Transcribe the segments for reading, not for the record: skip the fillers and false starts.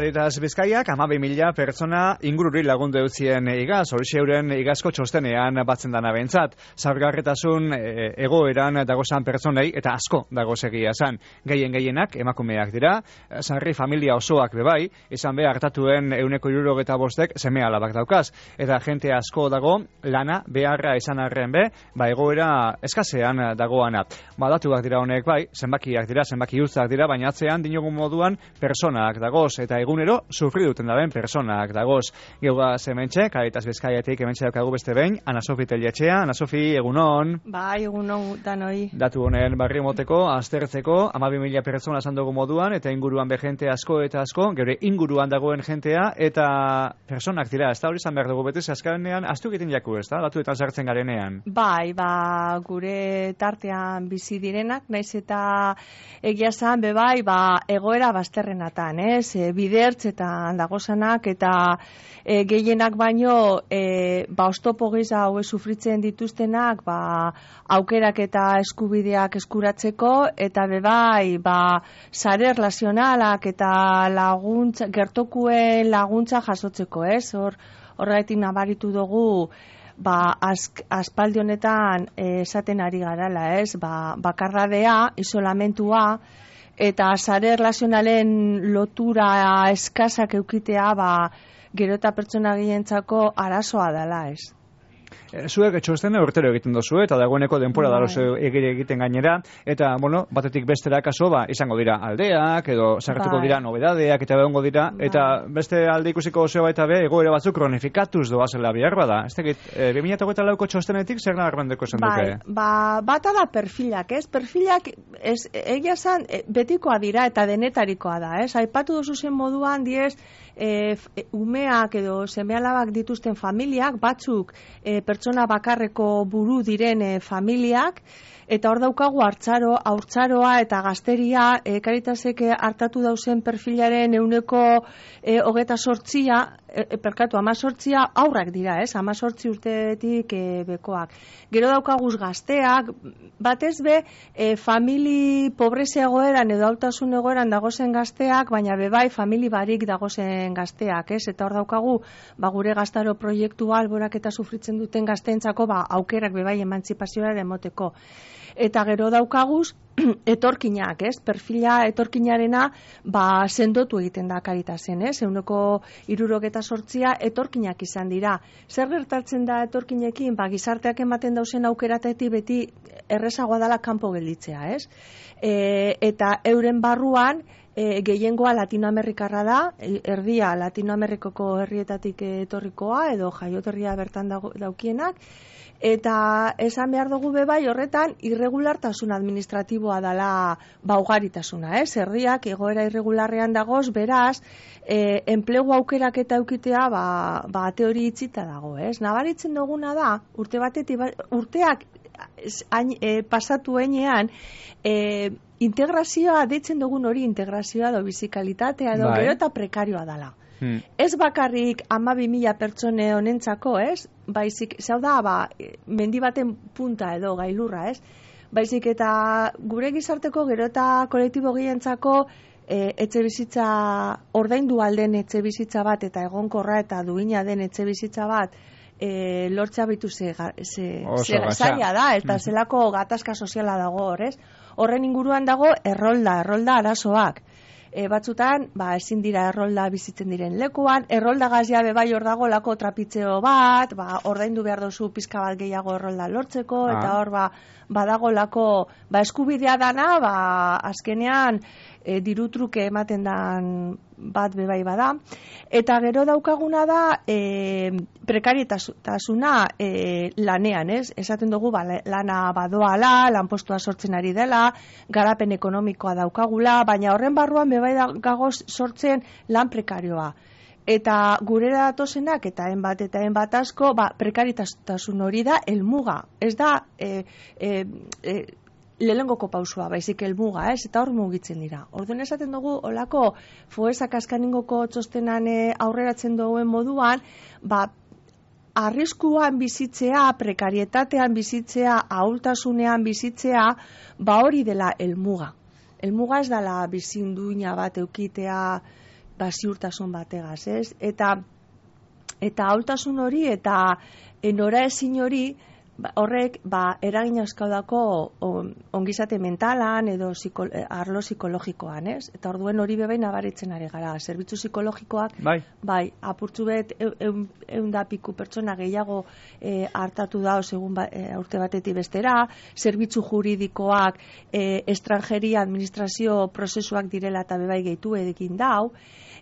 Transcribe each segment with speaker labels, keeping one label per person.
Speaker 1: Caritas Bizkaiak 12.000 pertsona ingururi lagundu eutzien igaz, horixe euren igazko txostenean batzen dana bentzat. Zaurgarritasun egoeran dagozan pertsonei eta asko dagozegia zan. Gehienak emakumeak dira, sarri familia osoak bebai, izan be hartatuen 175 seme alabak daukaz. Eta jente asko dago lana beharra izan arren be, egoera eskasean dagoana. Datuak dira honek bai, zenbakiak dira, zenbaki utzak dira, baina atzean dinogun moduan personak dagoz, eta egunero sufri duten daben personak dagoz. Geuga zementxe, Caritas Bizkaiatik hementxe daukagu beste behin, Ana Sofi Telletxea. Ana Sofi, egunon.
Speaker 2: Bai, egunon danoi.
Speaker 1: Datu honen barri moteko, aztertzeko, 12.000 pertsona esan dugu moduan, eta inguruan be jente asko eta asko, geure inguruan dagoen jentea, eta personak dira, ez da hori izan behar dugu beti, azkarenean, astu egiten jaku, ez da, datuetan sartzen garenean.
Speaker 2: Bai, gure tartean bizi direnak, naiz eta egia zan, bebai, egoera bazterrenatan, ez? Bidertzetan dagozanak eta gehienak baino, oztopo giza hau sufritzen dituztenak, aukerak eta eskubideak eskuratzeko, eta bebai, sare erlazionalak eta laguntza, gertokuen laguntza jasotzeko, ez? Horregatik nabaritu dugu, aspaldi honetan esaten ari garala, ez? Bakarradea, isolamentua, eta sare erlazionalen lotura eskasak eukitea, gero eta pertsona gehientzako arazoa dela, ez?
Speaker 1: Zuek txostena urtero egiten dozu, eta dagoeneko denpora darozu egiten gainera, eta, batetik bestera kaso, izango dira aldeak, edo sartuko dira nobedadeak, eta begongo dira, eta beste alde ikusiko zeo baita be, egoera batzuk kronifikatuz doazela bihar bada. Ez tegit, 2008ko txostenetik zer nagarbendeko esan duke?
Speaker 2: Bata da perfilak, ez? Perfilak, egia zan, betikoa dira eta denetarikoa da, ez? Aipatu dozu zen moduan, diez, umeak edo semealabak dituzten familiak, batzuk pertsona bakarreko buru diren familiak, eta hor daukagu haurtzaroa eta gazteria, Caritasek hartatu dauzen perfilaren 28%, 18 aurrak dira, ez? 18 urtetik bekoak. Gero daukaguz gazteak, batez be, famili pobrezia egoeran edo hautasun egoeran dagozen gazteak, baina bebai famili barik dagozen gazteak, ez? Eta hor daukagu, gure gaztaro proiektua alborak eta sufritzen duten gazteentzako, aukerak bebai emantzipazioa emoteko. Eta gero daukaguz, etorkinak, ez? Perfila etorkinarena, sendotu egiten da Caritasen, ez? 168 etorkinak izan dira. Zer gertatzen da etorkinekin? Gizarteak ematen dauzen aukeratetik beti errezagoa dela kanpo gelditzea, ez? Eta euren barruan, gehiengoa Latinoamerikarra da, erdia Latinoamerikoko herrietatik etorrikoa, edo jaioterria bertan daukienak, eta esan behar dugu bebai horretan irregulartasun administratiboa dela ugaritasuna, ez? Herriak egoera irregularrean dagoz, beraz, enplegu aukerak eta eukitea teori itzita dago, ez? Nabaritzen duguna da, urteak pasatu enean, integrazioa, deitzen dugun hori integrazioa edo bizikalitatea edo gero eta prekarioa dela. Ez bakarrik 12.000 pertsone honentzako, ez? Baizik, zau da, mendi baten punta edo gailurra, ez? Baizik eta gure gizarteko gero eta kolektibo gehientzako etxe bizitza, ordaindu alden etxe bizitza bat eta egonkorra eta duina den etxe bizitza bat lortzea bitu zaila da, eta zelako gatazka soziala dago hor, ez? Horren inguruan dago errolda arazoak. Batzutan, ezin dira errolda bizitzen diren lekuan, errolda gazia bebai hor dago lako trapitzeo bat, ordaindu behar dozu pizka bat gehiago errolda lortzeko, eta hor badago lako eskubidea dana, azkenean dirutruke ematen dan bat bebai bada. Eta gero daukaguna da prekarietasuna lanean, ez? Esaten dugu lana badoala, lanpostua sortzen ari dela, garapen ekonomikoa daukagula, baina horren barruan bebai gagoz sortzen lan prekarioa. Eta gurera datozenak eta enbat asko, prekaritasun hori da helmuga. Ez da lehenengoko pausua, baizik helmuga, ez? Eta hor mugitzen dira. Orduan esaten dugu, olako Foesak askaningoko txostenan aurreratzen duen moduan, arriskuan bizitzea, prekarietatean bizitzea, ahultasunean bizitzea, hori dela helmuga. Helmuga ez dela bizinduina bat eukitea, ziurtasun bategaz, ez? Eta ahultasun hori eta noraezin hori horrek eragin askaudako ongizate mentalan edo arlo psikologikoan, ez? Eta orduen hori bebain nabaritzen ari gara. Zerbitzu psikologikoak, bai, apurtzu bet, 100 piku pertsona gehiago hartatu da, segun urte batetik bestera, zerbitzu juridikoak, estrangeria administrazio prozesuak direla eta bebai gehitu edekin dau,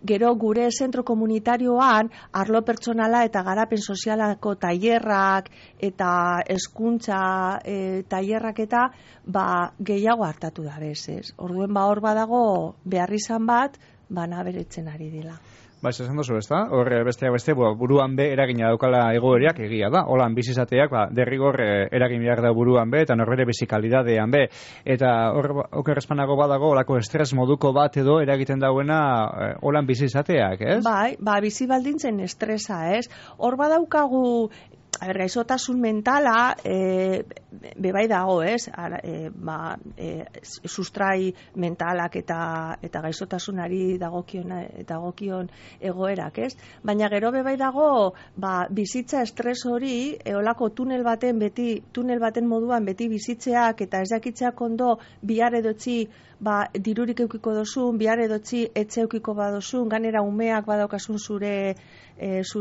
Speaker 2: gero gure zentro komunitarioan arlo pertsonala eta garapen sozialako tailerrak eta hezkuntza tailerrak eta gehiago hartatu da bez. Orduen hor badago beharrizan bat naberetzen ari dira.
Speaker 1: Esan duzu, ez da? Hor besteak beste, buruan be eragina daukala egoeriak egia da. Holan bizizateak, derrigor eragin behar da buruan be, eta norbere bizikalidadean be. Eta hor okerrezpanago badago, olako estres moduko bat edo eragiten dauena holan bizizateak, ez?
Speaker 2: Bai, bizi baldintzen estresa, ez? Hor badaukagu gaizotasun mentala bebai dago, ez? Sustrai mentalak eta gaizotasunari dagokion egoerak, ez? Baina gero bebai dago bizitza estres hori olako tunel baten moduan beti bizitzeak eta ez dakitzeak ondo bihar edotzi dirurik eukiko dozun, bihar edotzi etxe eukiko badozun, ganera umeak badaukasun zure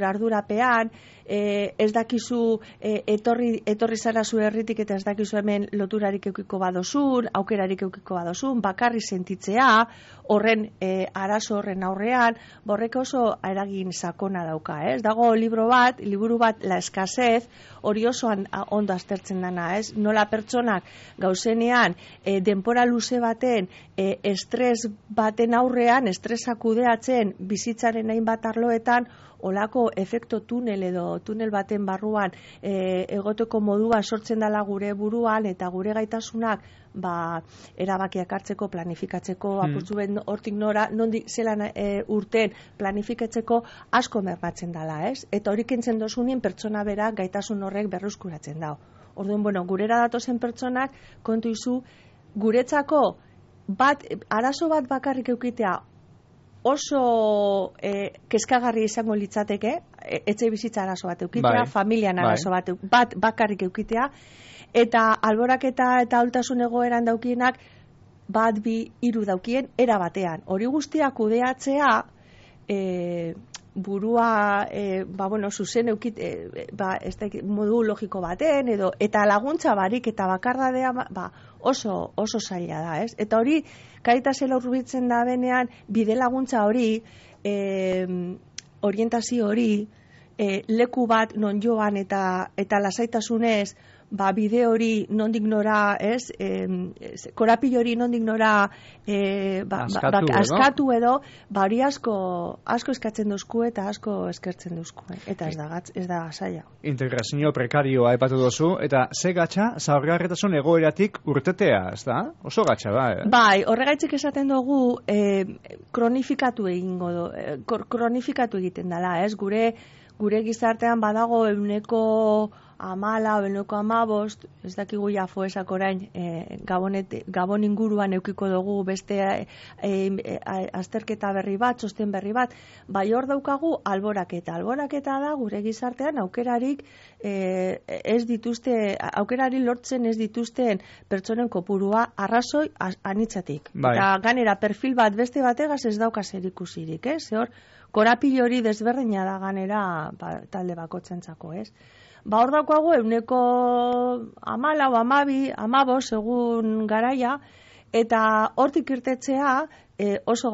Speaker 2: ardurapean, ez dakizu etorri zara zure herritik eta ez dakizu hemen loturarik eukiko badozun, aukerarik eukiko badozun, bakarri sentitzea, horren arazo horren aurrean, borrek oso eragin sakona dauka, ez? Dago liburu bat, La Escasez, hori oso ondo aztertzen dana, ez? Nola pertsonak gauzenean denpora luze baten estres baten aurrean, estresa kudeatzen bizitzaren hainbat arloetan, olako efekto tunel edo tunel baten barruan egoteko modua sortzen dela gure buruan eta gure gaitasunak erabakiak hartzeko, planifikatzeko, apurtzu ben hortik nora, nondik zelan urten planifikatzeko asko mermatzen dela, ez? Eta hori kentzen dozunin pertsona bera gaitasun horrek berruzkuratzen dau. Orduan, gurera datozen pertsonak kontu izu, guretzako arazo bat bakarrik eukitea oso kezkagarri izango litzateke, etxe bizitza arazo bat eukitea, familian arazo bat bakarrik eukitea, eta alboraketa eta ahultasun egoeran daukienak 1, 2, 3 daukien era batean. Hori guztia kudeatzea burua zuzen eukit modu logiko baten edo eta laguntza barik eta bakardadea oso zaila da, ez? Eta hori Caritasela hurbiltzen da benean bide laguntza hori, orientazio hori, leku bat non joan eta lasaitasunez bide hori nondik nora, ez? Korapilo hori nondik nora askatu edo, hori asko eskatzen duzku eta asko eskertzen duzku, eta ez da zaila.
Speaker 1: Integrazio prekarioa aipatu duzu, eta ze gatza zaurgarritasun egoeratik urtetea, ez da? Oso gatza da,
Speaker 2: Bai, horregaitzik esaten dugu kronifikatu egiten dela, ez? Gure gizartean badago 14 o 15, ez dakigu jafoesak orain, Gabon inguruan eukiko dugu beste azterketa berri bat, txosten berri bat, bai hor daukagu alboraketa. Alboraketa da gure gizartean aukerarik lortzen ez dituzten pertsonen kopurua arrazoi anitzatik. Eta ganera perfil bat beste bategaz ez dauka zerikusirik, ez? Hor, korapilo hori desberdina da ganera talde bakotzentzako, ez? Hor daukagu 14, 15, 15 egun garaia, eta hortik irtetzea oso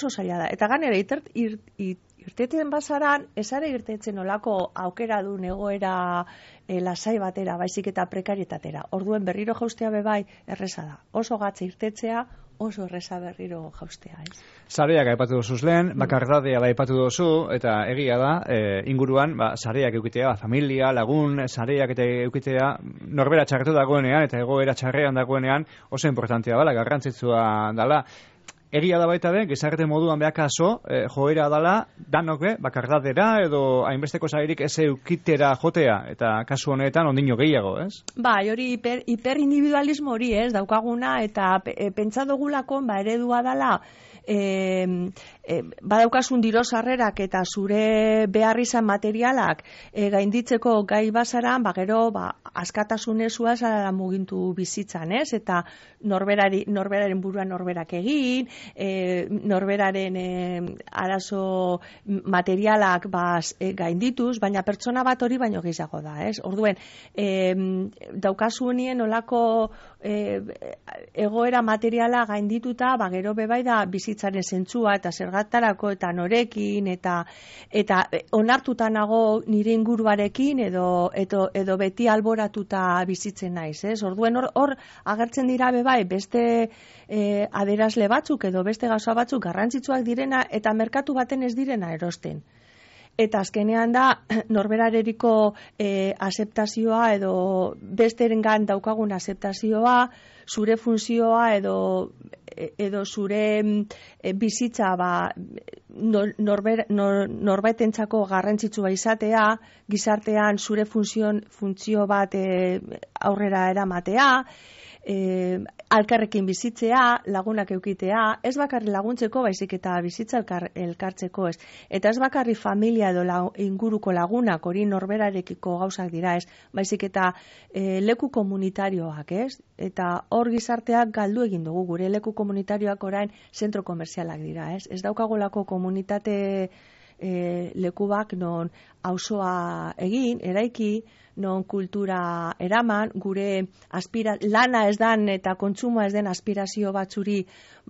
Speaker 2: zaila da. Eta ganera irteten bazaran, ezare irtetzen olako aukera du egoera lasai batera, baizik eta prekarietatera. Orduen berriro jaustea bebai erreza da. Oso gatza irtetzea, oso erreza berriro jaustea, ez?
Speaker 1: Sareak aipatu duzuz lehen, bakardadea aipatu duzu, eta egia da, inguruan, sareak eukitea, familia, lagun, sareak eta eukitea, norbera txarretu dagoenean, eta egoera txarrean dagoenean, oso importantea dela, garrantzitsua dela. egia da baita be, gizarte moduan behakaso, joera dala, danok bakardadera edo hainbesteko zairik ez eukitera jotea, eta kasu honetan ondino gehiago, ez?
Speaker 2: Bai, hori hiperindividualismo hori, ez, daukaguna, eta pentsa dugulako, eredua dala, badaukasun diru sarrerak eta zure behar izan materialak gainditzeko gai bazaran, gero askatasunezua zara mugintu bizitzan, ez? Eta norberaren buruan norberak egin, norberaren arazo materialak gaindituz, baina pertsona bat hori baino gehiago da, ez? Orduen, daukasunien olako egoera materiala gaindituta, gero bebai da bizitzaren zentzua eta zergatarako eta norekin eta onartuta nago nire inguruarekin edo beti alboratuta bizitzen naiz, ez? Orduen hor agertzen dira bebai beste adierazle batzuk edo beste gauza batzuk garrantzitsuak direna eta merkatu baten ez direna erosten. Eta azkenean da norberareriko azeptazioa edo besterengan daukagun azeptazioa, zure funtzioa edo zure bizitza norbaitentzako garrantzitsua izatea, gizartean zure funtzio bat aurrera eramatea, alkarrekin bizitzea, lagunak eukitea, ez bakarri laguntzeko, baizik eta bizitza elkartzeko, ez. Eta ez bakarri familia edo inguruko lagunak, hori norberarekiko gauzak dira, ez. Baizik eta leku komunitarioak, ez. Eta hor gizarteak galdu egin dugu, gure leku komunitarioak orain zentro komerzialak dira, ez. Ez daukagolako komunitate lekubak non auzoa egin, eraiki, non kultura eraman, gure lana ez dan eta kontsumoa ez den aspirazio batzuri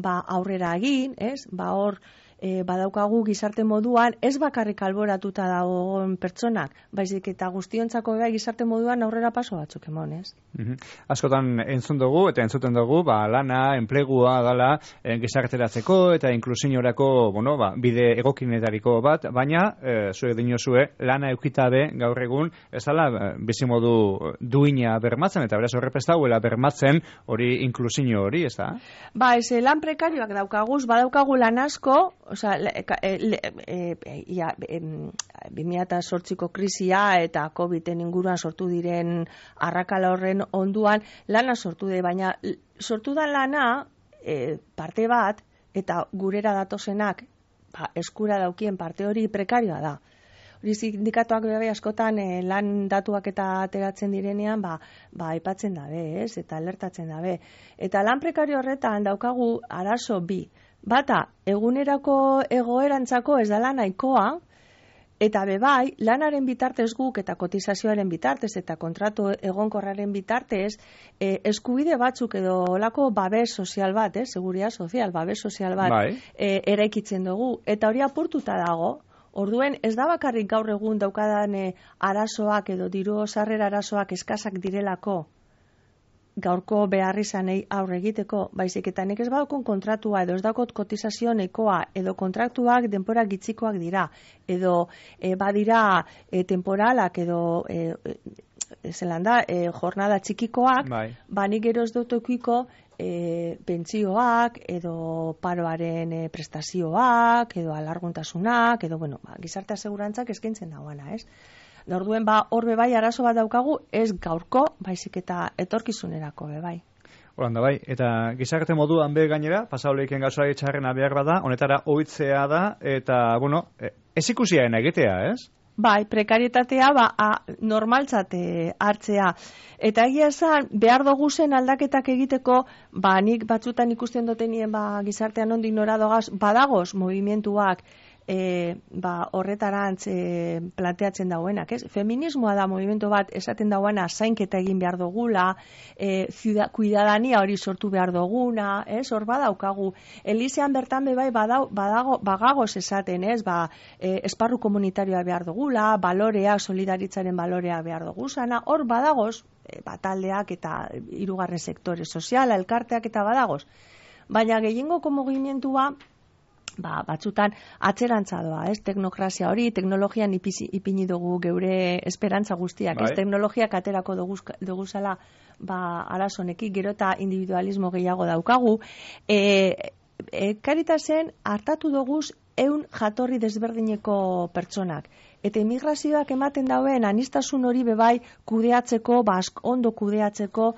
Speaker 2: aurrera egin, ez? Hor badaukagu gizarte moduan ez bakarrik alboratuta dagoen pertsonak, baizik eta guztiontzako gizarte moduan aurrera paso batzuk emon, ez?
Speaker 1: Askotan entzun dugu eta entzuten dugu, lana, enplegua dala gizarteratzeko eta inklusiorako, bide egokinetariko bat, baina zuek dinozue lana eukitabe gaur egun ez dala bizimodu duina bermatzen eta beraz horrepestauela bermatzen hori inklusio hori, ez da?
Speaker 2: Ez lan prekarioak daukaguz, badaukagu lan asko, 2008ko krisia eta COVID-en inguruan sortu diren arrakala horren onduan lana sortu de, baina sortu da lana parte bat eta gurera datozenak eskura daukien parte hori prekarioa da. Hori sindikatuak bebe askotan lan datuak eta ateratzen direnean aipatzen dabe, ez? Eta alertatzen dabe. Eta lan prekario horretan daukagu arazo bi. Bata, egunerako egoerantzako ez dela nahikoa, eta bebai, lanaren bitartez guk eta kotizazioaren bitartez eta kontratu egonkorraren bitartez, eskubide batzuk edo olako babes sozial bat, seguridad sozial, babes sozial bat eraikitzen dugu, eta hori apurtuta dago. Orduen, ez da bakarrik gaur egun daukadan arazoak edo diru sarrera arazoak eskasak direlako, gaurko beharrizanei aurre egiteko, baizik eta nik ez badakon kontratua edo ez dakot kotizazio nekoa edo kontraktuak denpora gitzikoak dira edo badira temporalak edo jornada txikikoak, nik gero ez dut okiko pentsioak edo paroaren prestazioak edo alarguntasunak edo gizarte asegurantzak eskaintzen dagoena, ez? Orduen hor bebai arazo bat daukagu ez gaurko, baizik eta etorkizunerako bebai.
Speaker 1: Horanda bai, eta gizarte moduan gainera, pasauleiken gauzari txarrena behar bada, honetara ohitzea da, eta, ez ikusiaen egitea, ez?
Speaker 2: Bai, prekarietatea normaltzat hartzea. Eta egia esan, behar dugu zen aldaketak egiteko, nik batzutan ikusten dutenien gizartean ondik noradogaz, badagoz movimentuak, horretarantz planteatzen dauenak, ez? Feminismoa da movimentu bat esaten dauena zainketa egin behar dugula, kuidadania hori sortu behar duguna, ez? Hor badaukagu. Elisean bertan bebai bagagoz esaten, ez? Esparru komunitarioa behar dugula, balorea, solidaritzaren balorea behar duguzana, hor badagoz, taldeak eta hirugarren sektore soziala, elkarteak eta badagoz. Baina gehiengoko mugimentua batzutan atzerantza doa, ez? Teknokrazia hori, teknologian ipini dugu geure esperantza guztiak, ez? Teknologiak aterako duguzala arazonekik, gero eta individualismo gehiago daukagu. Caritasen hartatu doguz 100 jatorri desberdineko pertsonak. Eta immigrazioak ematen dauen anistasun hori bebai kudeatzeko, ondo kudeatzeko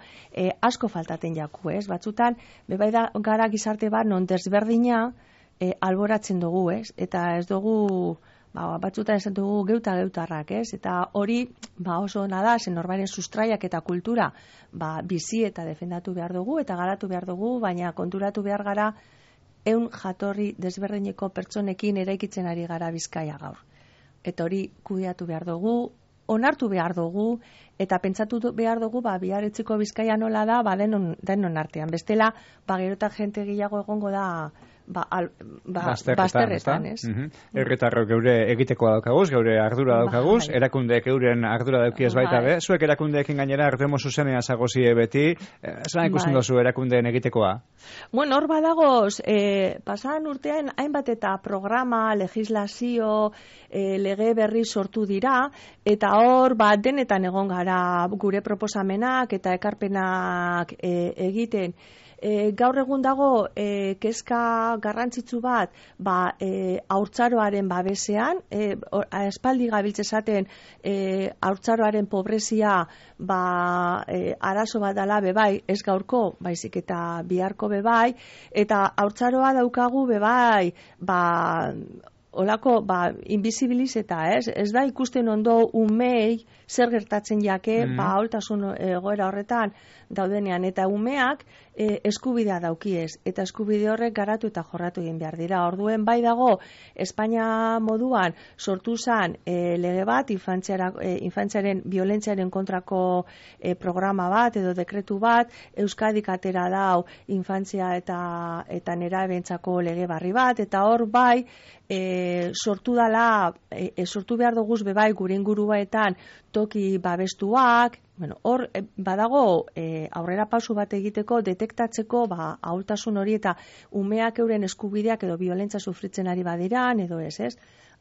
Speaker 2: asko faltaten jaku, ez? Batzutan, bebai da gara gizarte bat non desberdina alboratzen dugu, ez? Eta ez dugu, batzutan esan dugu geutarrak, ez? Eta hori oso ona da, zen norbaren sustraiak eta kultura bizi eta defendatu behar dugu, eta garatu behar dugu, baina konturatu behar gara 100 jatorri desberdineko pertsonekin eraikitzen ari gara Bizkaia gaur. Eta hori kudeatu behar dugu, onartu behar dugu, eta pentsatu behar dugu, biarritzeko Bizkaia nola da, denon artean. Bestela, gerota jente gehiago egongo da bazterretan, ez?
Speaker 1: Herritarrok geure egitekoa daukaguz, geure ardura daukaguz, erakundeek euren ardura daukiez baita be, zuek erakundeekin gainera hartemo zuzenean zagozie beti, zelan ikusten dozu erakundeen egitekoa?
Speaker 2: Bueno, hor badagoz, pasadan urtean hainbat eta programa, legislazio, lege berri sortu dira, eta hor denetan egon gara gure proposamenak eta ekarpenak egiten. Gaur egun dago kezka garrantzitsu bat haurtzaroaren babesean, espaldi gabiltze esaten haurtzaroaren pobrezia arazo bat dela bebai, ez gaurko, baizik eta biharko bebai, eta haurtzaroa daukagu bebai, olako, invisibilizeta, ez da ikusten ondo umei zer gertatzen jake, aholtasun egoera horretan daudenean, eta umeak eskubidea daukiez, eta eskubide horrek garatu eta jorratu egin behar dira. Orduen bai dago, Espainia moduan sortu zen lege bat, infantziaren violentziaren kontrako programa bat, edo dekretu bat, Euskadik atera dau infantzia eta nerabentzako lege barri bat, eta hor bai, sortu behar duguz bebai gure inguruetan toki babestuak, hor badago aurrera pausu bat egiteko, detektatzeko ahultasun hori eta umeak euren eskubideak edo biolentza sufritzen ari badiran, edo ez?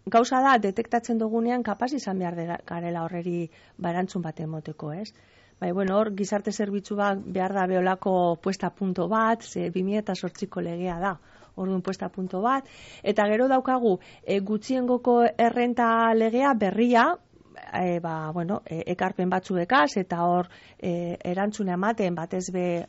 Speaker 2: Gauza da, detektatzen dugunean kapaz izan behar garela horreri barantzun bat emoteko, ez? Hor gizarte zerbitzu bat behar da beholako puesta punto bat, 2008ko legea da. Orduan puesta punto bat, eta gero daukagu gutxiengoko errenta legea berria, ekarpen batzuekaz, eta hor erantzuna ematen batez be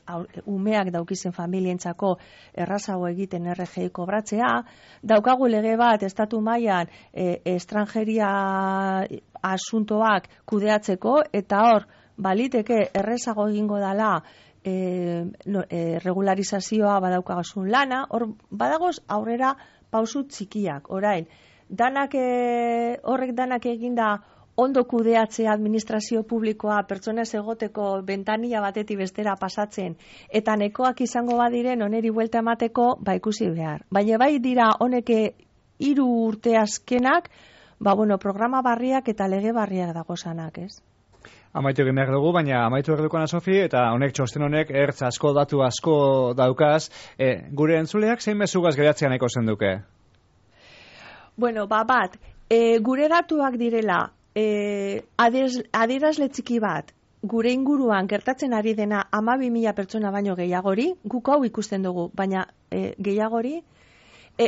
Speaker 2: umeak daukizen familientzako errazago egiten RGI kobratzea, daukagu lege bat estatu mailan estrangeria asuntoak kudeatzeko, eta hor baliteke errezago egingo dela regularizazioa badaukagasun lana, hor badagoz aurrera pausu txikiak, orain, horrek danak eginda ondo kudeatzea administrazio publikoa pertsona egoteko bentanilla batetik bestera pasatzen, eta nekoak izango badiren oneri buelta emateko, ikusi behar. Baina bai dira honeke 3 urte azkenak, programa barriak eta lege barriak dagozanak, ez?
Speaker 1: Amaitu egin behar dugu, baina amaitu behar dukana, Sofi, eta txosten honek ertz asko, datu asko daukaz. Gure entzuleak zein mezugaz geratzea nahiko zenduke?
Speaker 2: Gure datuak direla, adierazle txiki bat, gure inguruan gertatzen ari dena 12.000 pertsona baino gehiagori, guk hau ikusten dugu, baina gehiagori,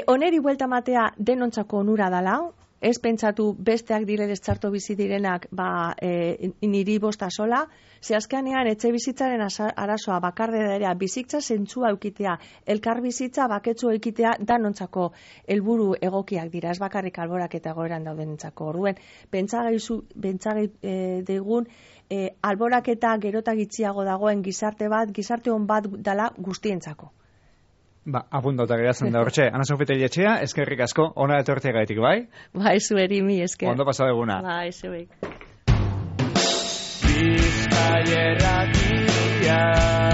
Speaker 2: oneri buelta matea denontzako onura dala, ez pentsatu besteak direlez txarto bizi direnak niri bosta sola, ze azkenean etxe bizitzaren arazoa bakardera bizitza zentzua eukitea, elkar bizitza baketsu eukitea danontzako helburu egokiak dira, ez bakarrik alborak eta goeran daudenentzako. Orduen, pentsagai degun alborak eta gerota gitziago dagoen gizarte on bat dala guztientzako.
Speaker 1: Apuntauta geratzen da hortxe. Ana Sofi Telletxea, eskerrik asko, ona etortzea gaitik, bai?
Speaker 2: Zueri mi esker.
Speaker 1: Ondo pasa eguna.
Speaker 2: Zuek.
Speaker 1: Bizkaia Irratia.